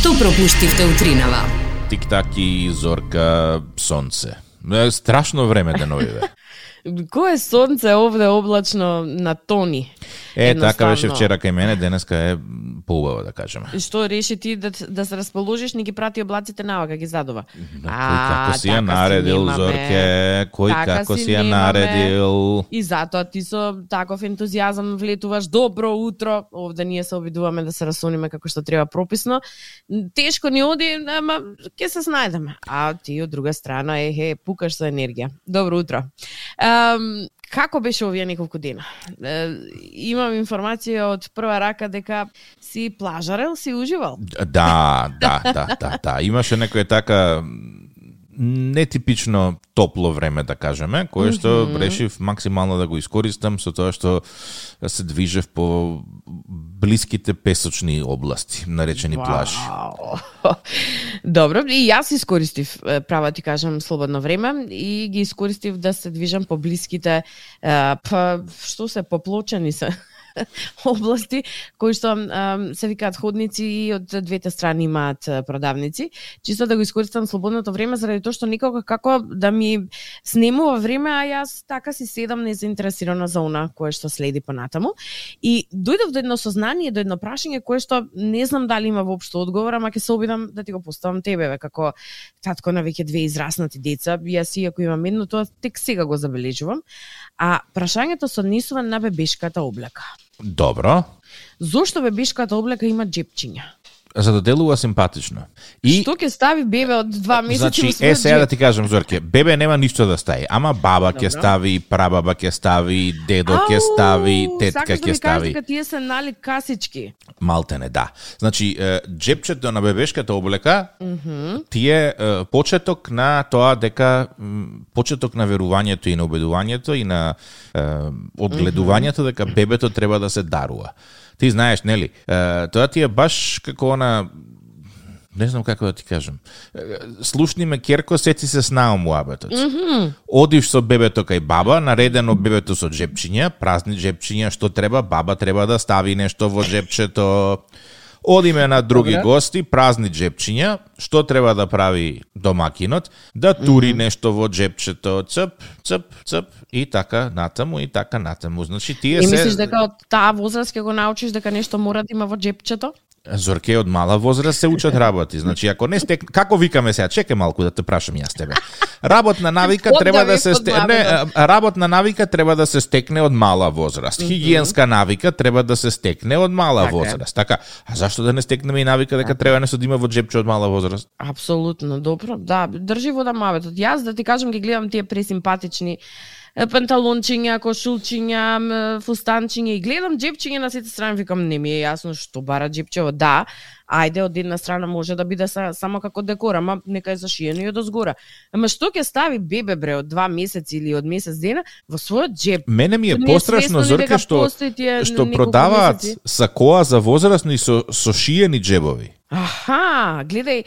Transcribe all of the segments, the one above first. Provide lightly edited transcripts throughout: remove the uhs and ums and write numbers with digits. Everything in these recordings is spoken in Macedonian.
Што пропуштивте утринава? Тик-так и Зорка, сонце. Страшно време деновиве. Кое сонце овде облачно на тони. Така беше вчера кај мене, денеска е поубаво, да кажеме. И што реши ти да се расположиш, не ги прати облаците навака, ги задува? Кој како си ја наредил, Зорке? Кој како си ја наредил? И затоа ти со таков ентузијазам влетуваш. Добро утро. Овде ние се обидуваме да се расониме како што треба прописно. Тешко ни оди, ама ќе се снајдеме. А ти од друга страна пукаш со енергија. Добро утро. Како беше овие неколку дена? Имам информација од прва рака дека си плажарел, си уживал? Да. Имаше некоја така нетипично топло време, да кажеме, кое што решив максимално да го искористам со тоа што се движев по блиските песочни области, наречени плажи. Добро, и јас искористив, права ти кажам, слободно време и ги искористив да се движам по блиските, поплочени се области, кои што се викаат ходници и од двете страни имаат продавници, чисто да го искористам слободното време заради тоа што никога како да ми снемува време, а јас така си седам незаинтересирана за она кое што следи понатаму. И дојдов до едно сознание, до едно прашање кое што не знам дали има воопшто одговор, ама ќе се обидам да ти го поставам тебе, како татко на веќе две израснати деца. Јас иако имам едно, тоа тек сега го забележувам. А прашањето се однесува на бебешката облека. Добро. Зошто бебешката облека има джепчиња? За да делува симпатично. И што ќе стави бебе од 2 месеци? Значи, сега да ти кажам, Зорке, бебе нема ништо да стави, ама баба ќе стави, прабаба ќе стави, дедо ќе стави, тетка ќе стави. Сакаш да ми кажеш дека тие се нали касички? Малтене, да. Значи, джепчето на бебешката облека тие почеток на тоа дека почеток на верувањето и на убедувањето и на одгледувањето дека бебето треба да се дарува. Ти знаеш, нели? Тоа ти е баш како она, не знам како да ти кажам. Слушни ме керко, сети се снао муабетот. Одиш со бебето кај баба, наредено бебето со джепчиња, празни джепчиња, што треба, баба треба да стави нешто во джепчето. Одиме на други гости, празни джепчиња, што треба да прави домакинот, да тури нешто во джепчето, цп, и така натаму, и така натаму. Значи, тие се... И мислиш дека од таа возраст ќе го научиш дека нешто мора да има во джепчето? Зорке, од мала возраст се учат работи. Значи, ако не стек... Како викаме сега? Чекај малку да те прашам јас тебе. Работна навика треба да се работна навика треба да се стекне од мала возраст. Хигиенска навика треба да се стекне од мала возраст. Така, а зашто да не стекнеме и навика дека треба нешто да има во джепче од мала возраст? Апсолутно, добро. Да, држи во дамавето. Јас да ти кажам ги гледам тие пресимпатични панталончиња, кошулчиња, фустанчиња и гледам джепчиња на сите страни, викам не ми е јасно што бара джепчево. Да, ајде од една страна може да биде само како декор, ама нека е зашиено и од озгора. Ама што ќе стави бебе бре од 2 месеци или од месец дена во својот джеп? Мене ми е пострашно, Зорке, што продаваат сакоа за возрастни со шиени джебови. Аха, гледај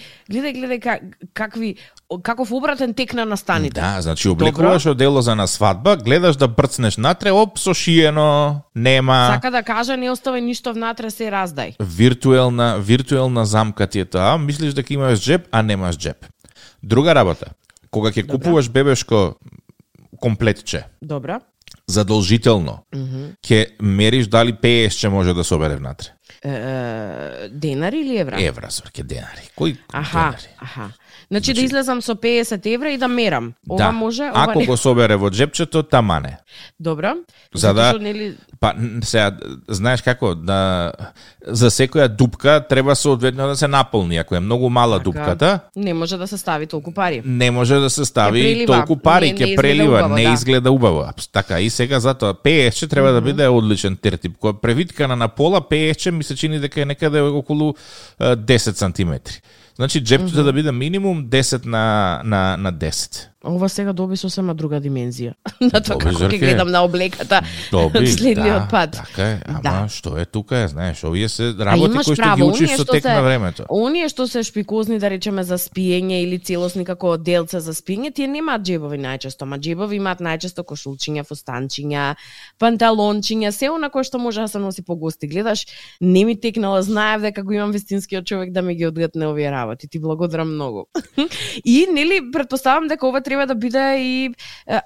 каков обратен тек на настаните. Да, значи облекуваш одело за на свадба, гледаш да брцнеш натре, со шиено, нема. Сака да кажа, не оставај ништо внатре, се раздај. Виртуелна замка ти е тоа, мислиш дека имаш джеб, а немаш джеб. Друга работа, кога ќе купуваш бебешко комплетче. Добра. Задолжително ќе мериш дали пеесче може да собере внатре. Денари или евра? Евра, Зорке, денари. Кој денари? Значи да излезам со 50 евра и да мерам. Ова може, ова ако не. Го собере во джепчето, тамане. Добро. За да, па сега знаеш како за секоја дупка треба соодветно да се наполни. Ако е многу мала дупката, не може да се стави толку пари. Не може да се стави толку пари, ќе прелива, не изгледа убаво. Така и сега затоа пеесче треба да биде одличен тертип. Кога превиткана на пола пеесче ми се чини дека е некаде околу 10 сантиметри. Значи джепчето да биде минимум 10 на 10. Ова сега доби сосема друга димензија. На тоа како ќе гледам на облеката следниот пат. Така е, ама што е тука, знаеш, овие се работи кои што ги учиш со тек на времето. Оние што се шпикозни, да речеме, за спиење или целосни како делца за спиење, тие немаат џебови најчесто, ама џебови имаат најчесто кошулчиња, фустанчиња, панталончиња, се она кое што може да се носи по гости. Гледаш, не ми текнала, знаев дека го имам вистинскиот човек да ми ги одгатне овие работи. Ти благодарам многу. И нели претпоставам дека ова треба да биде и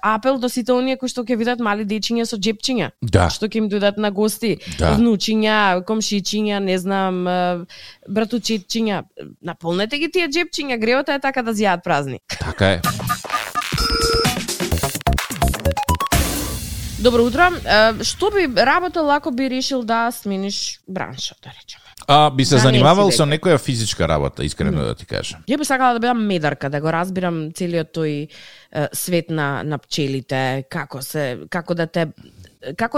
апел до сите оние кои што ќе видат мали дечиња со џепчиња, што ќе им дојдат на гости, внучиња, комшичиња, не знам, братучетчиња. Наполнете ги тие џепчиња, гревата е така да зјаат празни. Така е. Добро утро. Што би работел ако би решил да смениш бранша, да речеме? Би се занимавал со некоја физичка работа, искрено да ти кажам. Ја би сакала да бидам медарка, да го разбирам целиот тој свет на пчелите, како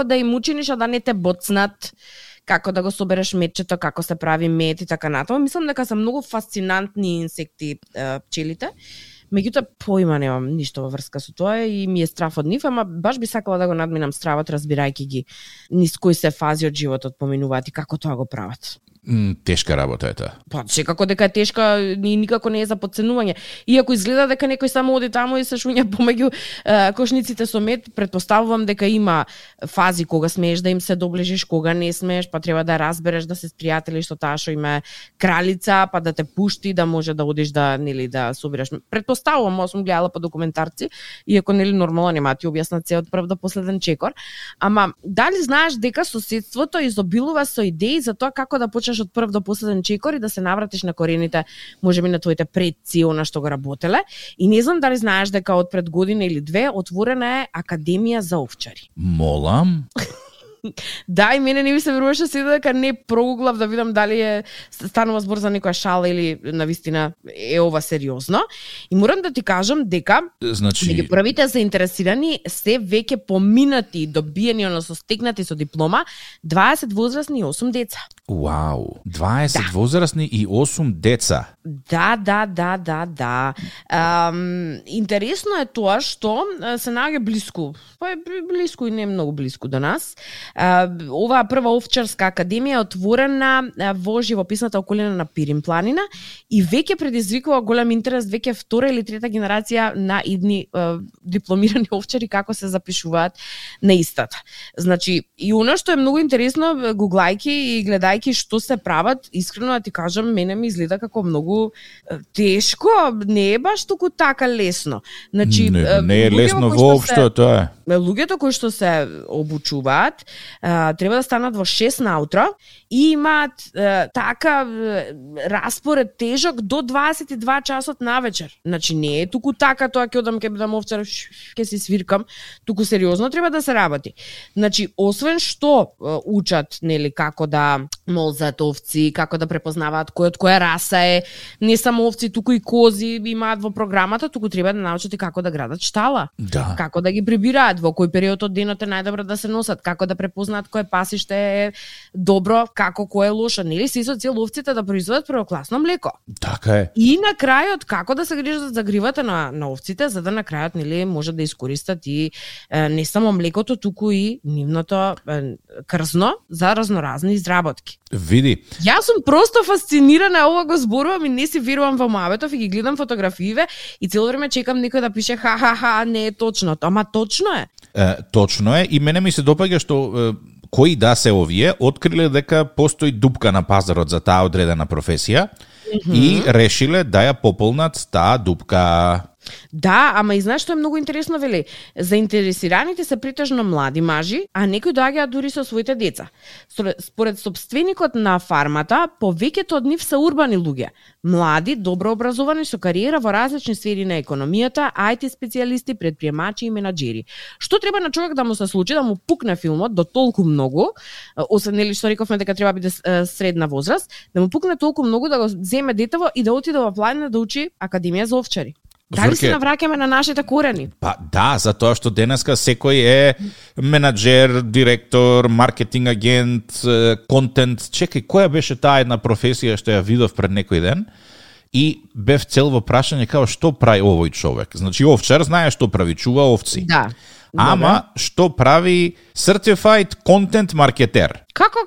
да им учиниш, а да не те боцнат, како да го собереш медчето, како се прави мед и така натаму. Мислам дека се многу фасцинантни инсекти пчелите. Меѓутоа, поима немам ништо во врска со тоа и ми е страф од нив, ама баш би сакала да го надминам стравот, разбирајќи ги низ кои се фази од животот поминуваат и како тоа го прават. Тешка работа е тоа. Па, секако дека е тешка и никако не е за подценување. Иако изгледа дека некој само оди таму и се шуња помеѓу кошниците со мед, претпоставувам дека има фази кога смееш да им се доближиш, кога не смееш, па треба да разбереш да се спријателиш со таа што има кралица, па да те пушти, да може да одиш да да собираш. Претпоставувам, сум гледала по документарци, иако нормално нема ти објаснат се од прв до последен чекор, ама дали знаеш дека соседството изобилува со идеи за тоа како да почнеш од прв до последен чекор и да се навратиш на корените, можеби на твоите предци, она што го работеле. И не знам дали знаеш дека од пред година или две отворена е Академија за овчари. Молам? Да, и мене не ми се веруваше се дека не прогуглав да видам дали станува збор за некоја шала или навистина е ова сериозно. И морам да ти кажам дека меѓу првите заинтересирани се веќе поминати и добиени, односно стекнати со диплома 20 возрастни и 8 деца. Вау, 20 возрастни и 8 деца. Да. Интересно е тоа што се наоѓа блиску, па е блиску и не многу блиску до нас. Оваа прва овчарска академија е отворена во живописната околина на Пирин планина и веќе предизвикува голем интерес, веќе втора или трета генерација на идни дипломирани овчари како се запишуваат на истата. Значи, и она што е многу интересно, гуглајки и гледајки што се прават, искрено да ти кажам, мене ми изгледа како многу тешко, не е баш туку така лесно. Значи, не е лесно воопшто тоа. Луѓето кои што се обучуваат треба да станат во 6 наутро и имаат така распоред тежок до 22 часот навечер. Значи не е туку така тоа ќе одам ќе бидам овчар, ќе си свиркам, туку сериозно треба да се работи. Значи освен што учат, нели, како да молзат овци, како да препознаваат кој од која раса е, не само овци, туку и кози имаат во програмата, туку треба да научат и како да градат штала. Да. Како да ги прибираат, во кој период од денот е најдобро да се носат, како да препознаат кое пасиште е добро, како кое е лошо, нели, се со цел овците да произведат првокласно млеко. Така е. И на крајот како да се грижат за гривата на овците, за да на крајот, нели, може да искористат и не само млекото, туку и нивното крзно за разноразни изработки. Види. Јас сум просто фасцинирана, ова го зборувам и не си верувам во Маветов и ги гледам фотографииве и цело време чекам некој да пише ха, не е точно. Ама точно е. Точно е и мене ми се допаѓа што кои да се овие откриле дека постои дупка на пазарот за таа одредена професија и решиле да ја пополнат таа дупка. Да, ама и знаеш што е многу интересно, вели? Заинтересираните се претежно млади мажи, а некои доаѓаат дури со своите деца. Според собственикот на фармата, повеќето од нив се урбани луѓе. Млади, добро образовани со кариера во различни сфери на економијата, IT специјалисти, предприемачи и менаџери. Што треба на човек да му се случи, да му пукне филмот до толку многу, освен нели што рековме дека треба биде средна возраст, да му пукне толку многу да го земе детево и да отиде во планина да учи Академија за овчари. Дали се навраќаме на нашите корени? Па да, затоа што денеска секој е менаџер, директор, маркетинг агент, контент. Чекај, која беше таа една професија што ја видов пред некој ден? и бев цел во прашање како што прави овој човек. Значи овчар знае што прави, чува овци. Да. Ама што прави Certified Content Marketer? Како?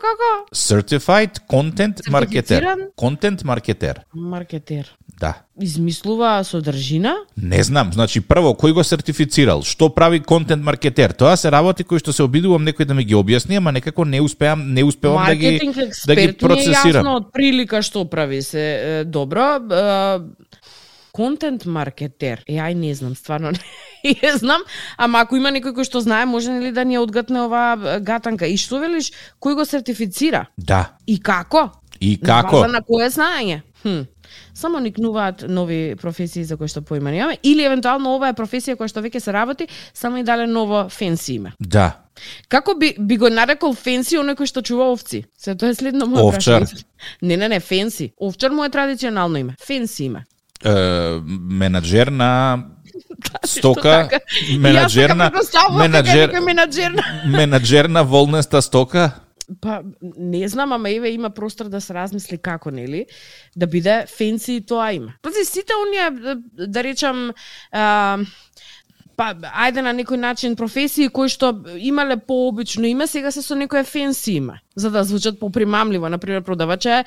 Certified Content Marketer. Сертифициран? Content Marketer. Маркетер. Да. Измислува содржина? Не знам, значи прво кој го сертифицирал, што прави контент маркетер. Тоа се работи кои што се обидувам некој да ми ги објасни, ама некако не успевам да ги процесирам. Јасно од прилика што прави се добро. Контент маркетер. Ај не знам, стварно не знам, ама ако има некој кој што знае, може ли да ни одгатне оваа гатанка? И што велиш, кој го сертифицира? Да. И како? На база на кое знаење? Само никнуваат нови професии за кои што поима немаме, или евентуално ова е професија која што веќе се работи, само и дале ново фенси име. Да. Како би го нарекол фенси оној кој што чува овци? Се тоа е следно моја овчар. Не, фенси. Овчар му е традиционално име. Фенси име. Менаџер на стока, менаџер на волнеста стока. Па, не знам, ама еве има простор да се размисли како, нели? Да биде фенси тоа име. Пази, сите оние, да речам, па, ајде на некој начин професии кои што имале пообично име, сега се со некој фенси име, за да звучат попримамливо. Например, продавач е,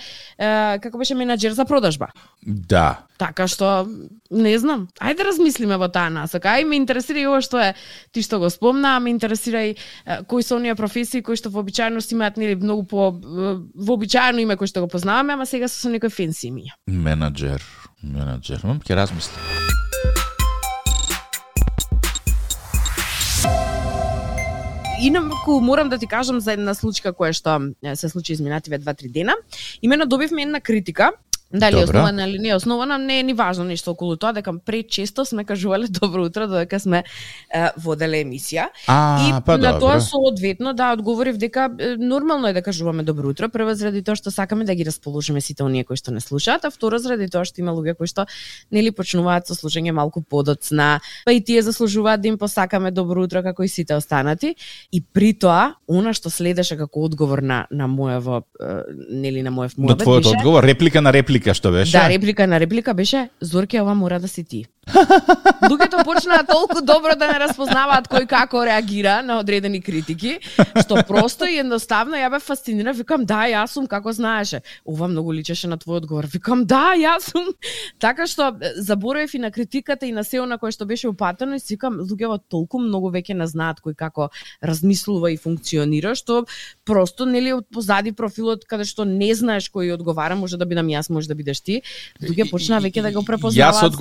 како беше, менаџер за продажба. Да. Така што, не знам. Ајде размислиме во таа насока. Ај ме интересира и ова што е, ти што го спомна, ме интересира и кои се оние професии кои што вообичаено имаат нели многу по вообичаено име кои што го познаваме, ама сега се со некој фенси име. Менаџер. Ќе размислам. Инаку морам да ти кажам за една случка која што се случи изминативе 2-3 дена. Имено добивме една критика. Дали е основана или не е основана, не е ни важно нешто околу тоа, дека пречесто сме кажувале добро утро додека сме воделе емисија. Па на тоа соодветно да одговорив дека нормално е да кажуваме добро утро, прво заради тоа што сакаме да ги расположиме сите оние кои што не слушаат, а второ заради тоа што има луѓе кои што нели почнуваат со слушање малку подоцна, па и тие заслужуваат да им посакаме добро утро како и сите останати. И при тоа, она што следеше како одговор на мојот нели на мојот муабет. До твојот одговор, реплика на реплика што беше? Да, реплика на реплика беше: Зорке, ова мора да си ти. Луѓето почнаа толку добро да не распознаваат кој како реагира на одредени критики, што просто и едноставно ја бе фасцинира. Викам, да, јас сум, како знаеше. Ова многу личеше на твој одговор. Викам, да, јас сум. Така што заборавив и на критиката и на сео на кое што беше упатено и си викам, луѓето толку многу веќе не знаат кој како размислува и функционира, што просто нели од позади профилот каде што не знаеш кој одговара, може да бидам јас, може да бидеш ти. Луѓе почнаа веќе да го препознаваат.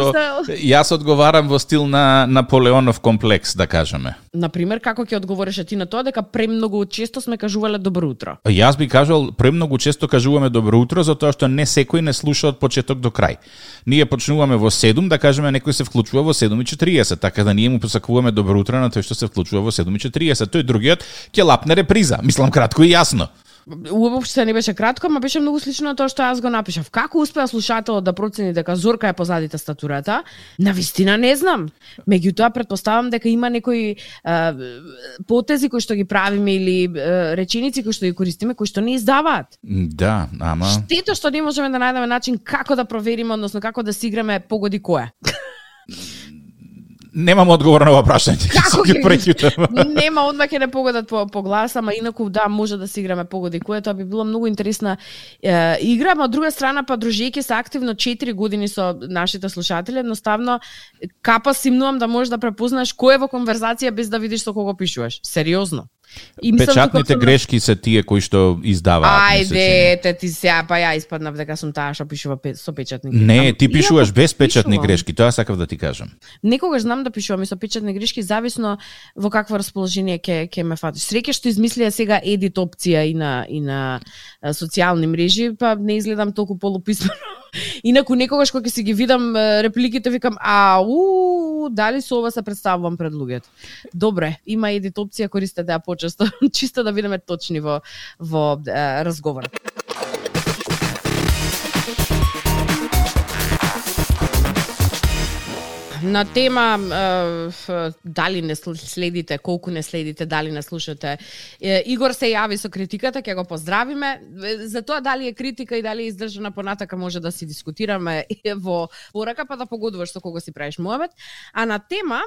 Јас одговарам во стил на Наполеонов комплекс, да кажеме. Например, како ќе одговореше ти на тоа дека премногу често сме кажувале добро утро? Јас би кажал премногу често кажуваме добро утро затоа што не секој не слуша од почеток до крај. Ние почнуваме во 7, да кажеме некој се вклучува во 7:40, така да ние му посакуваме добро утро на тој што се вклучува во 7:40. Тој другиот ќе лапне реприза. Мислам кратко и јасно. Уопште не беше кратко, ама беше многу слично на тоа што јас го напишав. Како успеа слушателот да процени дека Зорка е позади тастатурата? Навистина не знам. Меѓутоа претпоставам дека има некои потези кои што ги правиме или реченици кои што ги користиме кои што не издаваат. Да, ама штето што не можеме да најдеме начин како да провериме, односно како да си играме погоди која. Немам одговор на ова прашање. Нема, одма ќе не погодат по глас, ама инаку да, може да си играме погоди која, тоа би било многу интересна игра, ама од друга страна па дружејќи се активно 4 години со нашите слушатели, едноставно капа симнувам да можеш да препознаеш кој е во конверзација без да видиш со кого пишуваш. Сериозно. Печатните грешки се тие кои што издаваат. Ајде, ти сега, па ја испаднав дека сум таа што пишува со печатни грешки. Не, ти пишуваш без печатни грешки, тоа сакав да ти кажам. Некогаш знам да пишувам и со печатни грешки, зависно во какво расположение ќе ме фатиш. Среќа што измислија сега едит опција и на социјални мрежи, па не изгледам толку полуписмено. Инаку некогаш кога ќе си ги видам репликите, викам, дали со ова се представувам пред луѓето. Добре, има едит опција, користете ја почесто, чисто да бидеме точни во разговорот. На тема дали не следите, колку не следите, дали не слушате. Игор се јави со критиката, ќе го поздравиме. За тоа дали е критика и дали е издржана понатака може да си дискутираме во порака, па да погодуваш со кого си правиш муабет. А на тема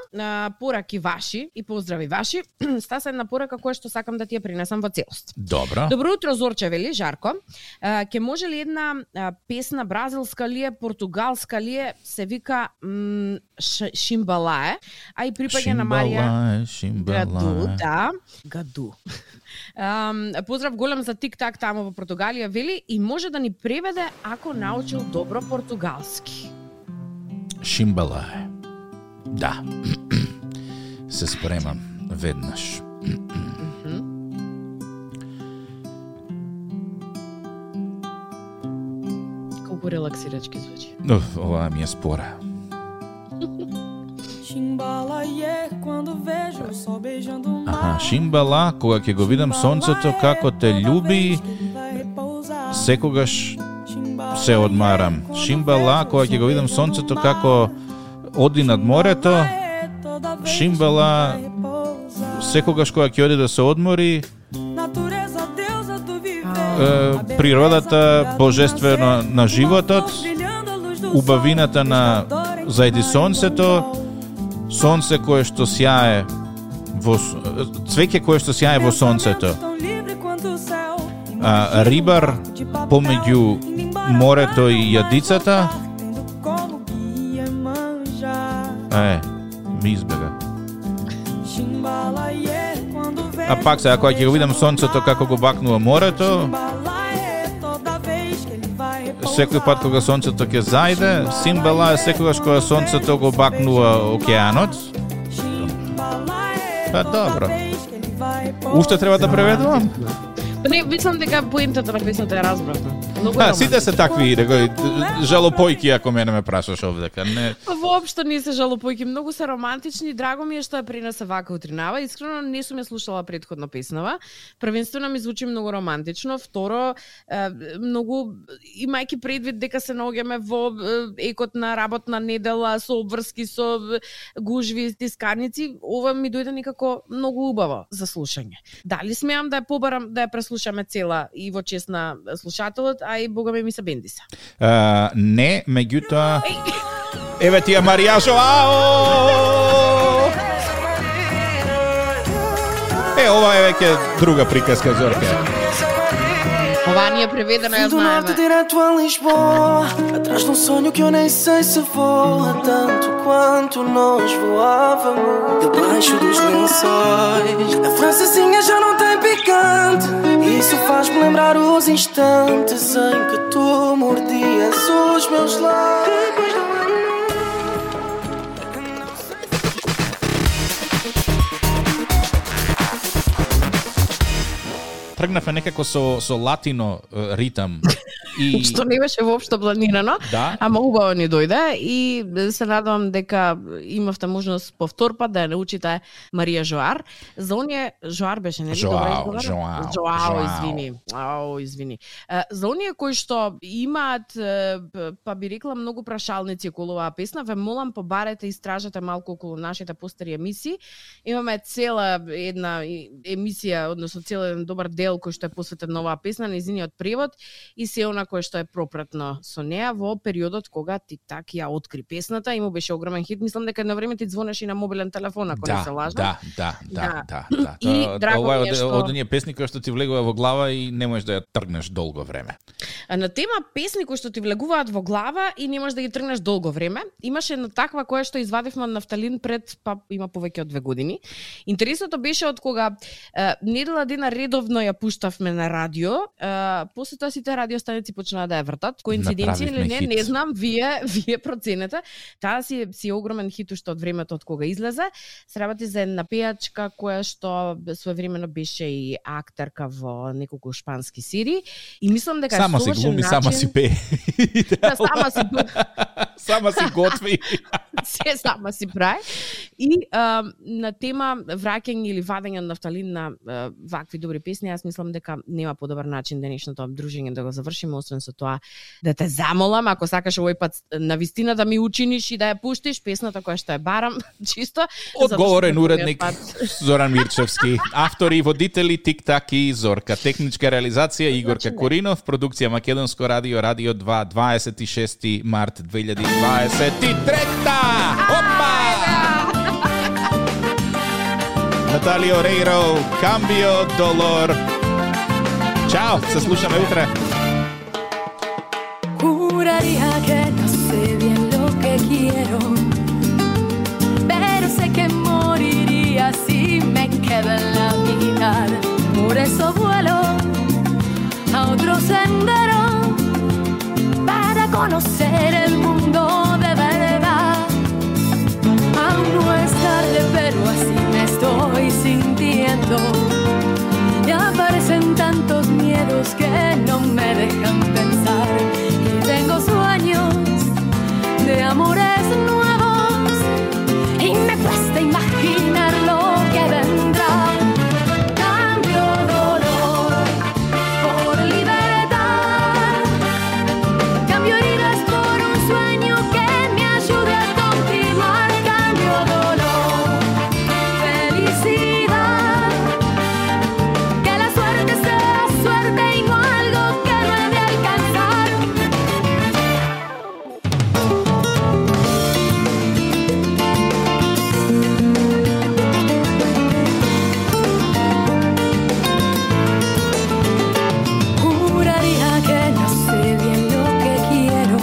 пораки ваши и поздрави ваши, стаса една порака која што сакам да ти ја принесам во целост. Добро. Добро утро, Зорче, вели Жарко. Ке може ли една песна бразилска ли е, португалска ли е, се вика Шимбалае, а и припаѓа на Марија Гаду, да, Гаду. Поздрав голем за тик-так тамо во Португалија, вели, и може да ни преведе ако научил добро португалски. Шимбалае. Да. Се спремам веднаш. Колку релаксирачки звучи. Ова ми е спора. Шимбала, кога ќе го видам сонцето како те љуби, секогаш се одмарам. Шимбала, кога ќе го видам сонцето како оди над морето, Шимбала, секогаш кога ќе оди да се одмори, природата божествено на животот, убавината на зајди сонцето, сонце кое што сјае во цвеќе кое што сјае во сонцето. Рибар помеѓу морето и јадицата. Ми избега. А пак сега кога ќе го видам сонцето како го бакнува морето, секој пат кога сонцето ќе зајде, Симбала е секогаш кога сонцето го бакнува океанот. Па добро. Уште треба да преведувам? Не, мислам дека поентата на песната ја разбравме. Сите се такви, жалопојки, ако мене ме прашаш овдека. Не. Воопшто не се жалопојки, многу се романтични, драго ми е што ја принесе вака утринава. Искрено не сум ја слушала претходно песнава. Првенствено ми звучи многу романтично, второ многу имајќи предвид дека се наоѓаме во екот на работна недела со обврски, со гужви, тискарници, ова ми дојде некако многу убаво за слушање. Дали смеам да ја побарам да ја преслушаме цела и во чест на слушателот, а и бога ми се бендиса. Не, меѓутоа еве ти ја Маријажо. Ова е веќе друга приказка, Зорке. Ова не е преведено, ја знаеме. Direto a Lisboa, atrás de sonho que eu nem sei se voa tanto quanto nós voávamos debaixo dos lençóis. A francesinha já não tem picante, isso faz-me lembrar os instantes em que tu mordias os meus lábios. Тргнавме некако со латино ритам. И... Што не беше воопшто планирано, да. Ама убаво ни дојде и се надевам дека имавте можност повтор пат да ја научите Марија Жоар. За оние Жоар беше, нели? Жоао, извини. За оние кои што имаат, па би рекла, многу прашалници околу оваа песна, ве молам побарете, истражете малку околу нашите постари емисии. Имаме цела една емисија, односно цел еден добар дел кој што е посветен на оваа песна, нејзиниот превод и се она кое што е пропратно со неа во периодот кога тик-так ја откри песната и му беше огромен хит. Мислам дека на време ти звонеше и на мобилен телефон, ако не се лажам. Да. И ова е од оние песни кои што ти влегува во глава и не можеш да ја тргнеш долго време. На тема песни кои што ти влегуваат во глава и не можеш да ги тргнеш долго време, имаше една таква која што извадивме од нафталин пред, па има повеќе од 2 години. Интересното беше од кога недела дена редовно ја пуштавме на радио, после тоа сите радиостаници почнаа да ја вртат. Коинциденција или не знам, вие проценете. Таа си огромен хит уште од времето од кога излезе. Се работи за една пејачка која што своевремено беше и актерка во неколку шпански серии и мислам дека само си глуми, сама си пее. Сама си сама си готви. се сама си прави. И на тема враќање или вадење на нафталин на вакви добри песни, јас мислам дека нема подобар начин денешното дружење да го завршиме, освен со тоа да те замолам, ако сакаш овој пат на вистина да ми учиниш и да ја пуштиш песната која што ја барам, чисто. Одговорен уредник Зоран Мирчевски, автори и водители Тик-так и Зорка, техничка реализација Игорка Коринов, продукција Македонско радио, Радио 2, 26 март 2023. Опа! Наталија Орейро, Cambio Dolor. Чао, се слушаме утре. Juraría que no sé bien lo que quiero, pero sé que moriría si me quedo en la mitad. Por eso vuelo a otro sendero para conocer el mundo de verdad. Aún no es tarde, pero así me estoy sintiendo. Y aparecen tantos miedos que no me dejan pensar. Y tengo sueños de amores nuevos y me cuesta imaginar lo que vendrá. Cambio dolor por libertad, cambio heridas por un sueño que me ayude a continuar. Cambio dolor, felicidad, que la suerte sea suerte y no algo que no he de alcanzar. Juraría que no sé bien lo que quiero,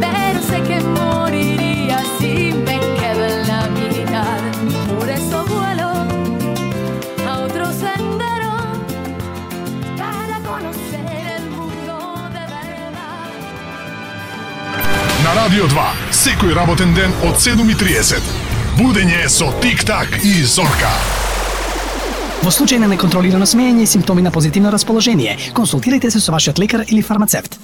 pero sé que moriría si me quedo en la mitad. Por eso vuelo a otro sendero para conocer el mundo de verdad. На Радио 2, секој работен ден од 7:30. Будење со Тик-так и Зорка. Во случај на неконтролирано смеење и симптоми на позитивно расположение, консултирайте се со вашиот лекар или фармацевт.